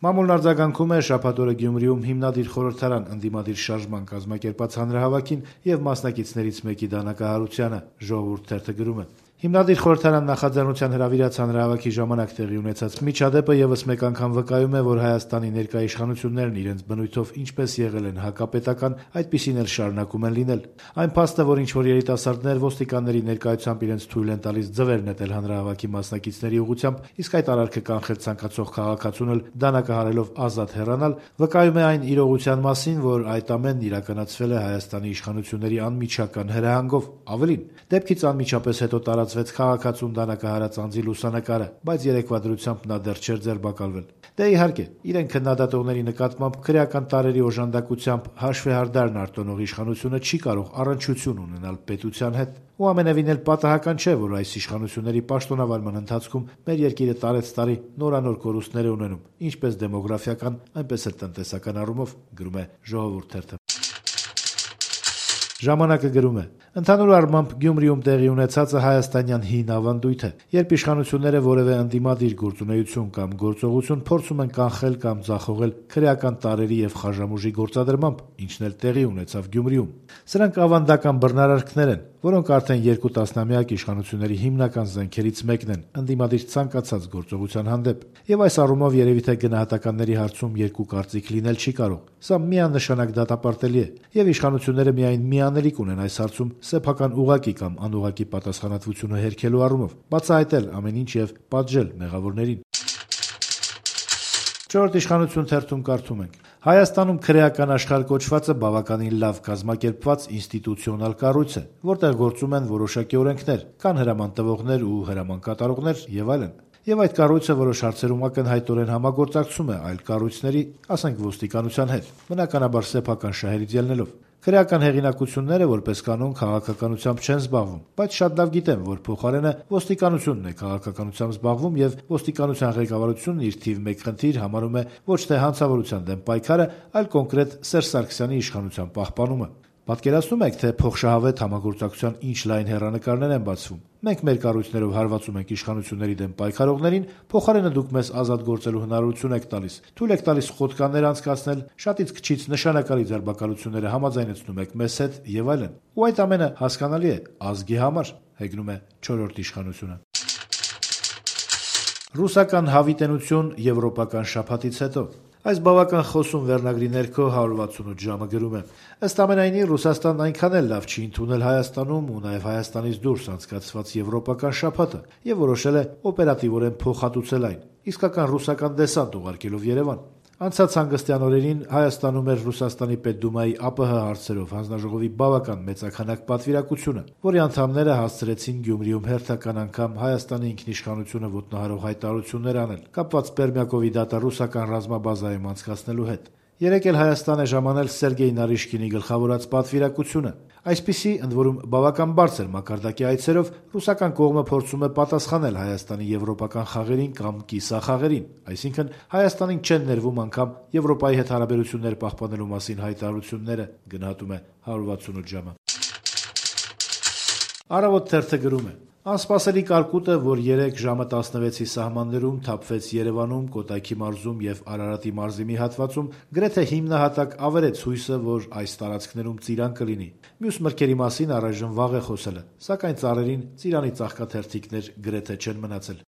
Մամուլն արձագանքում է շաբաթ օրը Գյումրիում հիմնադիր խորհրդարան ընդդիմադիր շարժման կազմակերպած հանրահավաքին եւ մասնակիցներից մեկի դանակահարությանը, «Ժողովուրդ» թերթը գրում է. Հիմնադիր խորհրդարան նախաձեռնության հրավիրած հանրահավաքի ժամանակ տեղի ունեցած միջադեպը եւս մեկ անգամ վկայում է, որ Հայաստանի ներկա իշխանություններն իրենց բնույթով ինչպես եղել են հակապետական, այդպիսին էլ շարունակում են լինել։ Այն փաստը, որ ինչ-որ երիտասարդներ ոստիկանների ներկայությամբ իրենց թույլ են տալիս ձվեր նետել հանրահավաքի մասնակիցների ուղղությամբ, իսկ այդ արարքը կանխել ցանկացող քաղաքացուն էլ դանակահարելով ազատ հեռանալ, վկայում է այն իրողության մասին, որ այդ ամենն իրականացվել է Հայաստանի իշխանությունների անմիջական հրահանգով։ Ավելին, դեպքից անմիջապես հետո տարածվեց քաղաքացուն դանակահարած անձի լուսանկարը, բայց երեկվա դրությամբ նա դեռ չէր ձերբակալվել։ Դե իհարկե, իրեն քննադատողների նկատմամբ քրեական տարրերի օժանդակությամբ հաշվեհարդարն արտոնող իշխանությունը չի կարող առնչություն ունենալ պետության հետ։ Ու ամենևին էլ պատահական չէ, որ այս իշխանությունների պաշտոնավարման ընթացքում մեր երկիրը տարեց տարի նորանոր կորուստներ է ունենում, ինչպես դեմոգրաֆիական, այնպես էլ տնտեսական առումով, գրում է «Ժողովուրդ» թերթը։ Ժամանակը գրում է. ընդհանուր առմամբ Գյումրիում տեղի ունեցածը հայաստանյան հին ավանդույթ է, երբ իշխանությունները որևէ ընդդիմադիր գործունեություն կամ գործողություն փորձում են կանխել կամ ձախողել քրեական տարրերի եւ խաժամուժի գործադրմամբ, ինչն էլ տեղի ունեցավ Գյումրիում։ Սրանք ավանդական բռնարարքներ են, որոնք արդեն 2 տասնամյակ իշխանությունների հիմնական զենքերից մեկն են ընդդիմադիր ցանկացած գործողության հանդեպ։ Եվ այս առումով երևի թե գնահատականների հարցում երկու կարծիք լինել չի կարող։ Սա միանշանակ դատապարտելի է, եւ իշխանությունները միայն միանելիք ունեն այս հարցում սեփական ուղղակի կամ անուղղակի պատասխանատվությունը հերքելու առումով, բացահայտել ամեն ինչ եւ պատժել մեղավորներին։ «Չորրորդ իշխանություն» թերթում կարդում ենք. Հայաստանում քրեական աշխարհ կոչվածը բավականին լավ կազմակերպված ինստիտուցիոնալ կառույց է, որտեղ գործում են որոշակի օրենքներ, կան հրաման տվողներ ու հրաման կատարողներ եւ այլն։ Եվ այդ կառույցը որոշ հարցերում ակնհայտորեն համագործակցում է այլ կառույցների, ասենք ոստիկանության հետ, բնականաբար սեփական շահերից ելնելով։ Քրեական հեղինակությունները որպես կանոն քաղաքականությամբ չեն զբաղվում, բայց շատ լավ գիտեն, որ փոխարենը ոստիկանությունն է քաղաքականությամբ զբաղվում եւ ոստիկանության ղեկավարությունն իր թիվ 1 խնդիր համարում է ոչ թե հանցավորության դեմ պայքարը, այլ կոնկրետ Սերժ Սարգսյանի իշխանության պահպանումը։ Պատկերացնում եք, թե փոխշահավետ համագործակցության ինչ լայն հեռանկարներ են բացվում։ Մենք մեր կառույցներով հարվածում ենք իշխանությունների դեմ պայքարողներին, փոխարենը դուք մեզ ազատ գործելու հնարավորություն եք տալիս, թույլ եք տալիս խոդկաններ անցկացնել, շատից քչից նշանակալի ձերբակալությունները համաձայնեցնում եք մեզ հետ եւ այլն։ Ու այդ ամենը հասկանալի է ազգի համար, հեգնում է 4-րդ իշխանությունը։ Ռուսական հավիտենություն եվրոպական շաբաթից հետո։ Այս բավական խոսուն վերնագրի ներքո 168 ժամը գրում է. ըստ ամենայնի Ռուսաստանն այնքան էլ լավ չի ընդունել Հայաստանում ու նաև Հայաստանից դուրս անցկացված եվրոպական շաբաթը եւ որոշել է օպերատիվորեն փոխհատուցել այն, իսկական ռուսական դեսանտ ուղարկելով Երևան։ Անցած հանգստյան օրերին Հայաստանում էր Ռուսաստանի Պետդումայի ԱՊՀ հարցերով հանձնաժողովի բավական մեծաքանակ պատվիրակությունը, որի անդամները հասցրեցին Գյումրիում հերթական անգամ Հայաստանի ինքնիշխանությունը ոտնահարող հայտարարություններ անել, կապված Պերմյակովի դատա-ռուսական ռազմաբազայում անցկացնելու հետ։ Երեկ էլ Հայաստան է ժամանել Սերգեյ Նարիշկինի գլխավորած պատվիրակությունը։ Այսպիսի, ընդ որում, բավական բարձր մակարդակի այցերով ռուսական կողմը փորձում է պատասխանել Հայաստանի եվրոպական խաղերին կամ կիսախաղերին, այսինքն Հայաստանին չեն ներվում անգամ Եվրոպայի հետ հարաբերություններ պահպանելու մասին հայտարարությունները, գնահատում է 168 ժամը։ Առավոտ թերթը գրում է. անսպասելի կարկուտը, որ երեկ ժամը 16-ի սահմաններում թափվեց Երևանում, Կոտայքի մարզում եւ Արարատի մարզի մի հատվածում, գրեթե հիմնահատակ ավերեց հույսը, որ այս տարածքներում ծիրան կլինի։ Մյուս մրգերի մասին առայժմ վաղ է խոսելը, սակայն ծառերին ծիրանի ծաղկաթերթիկներ գրեթե չեն մնացել։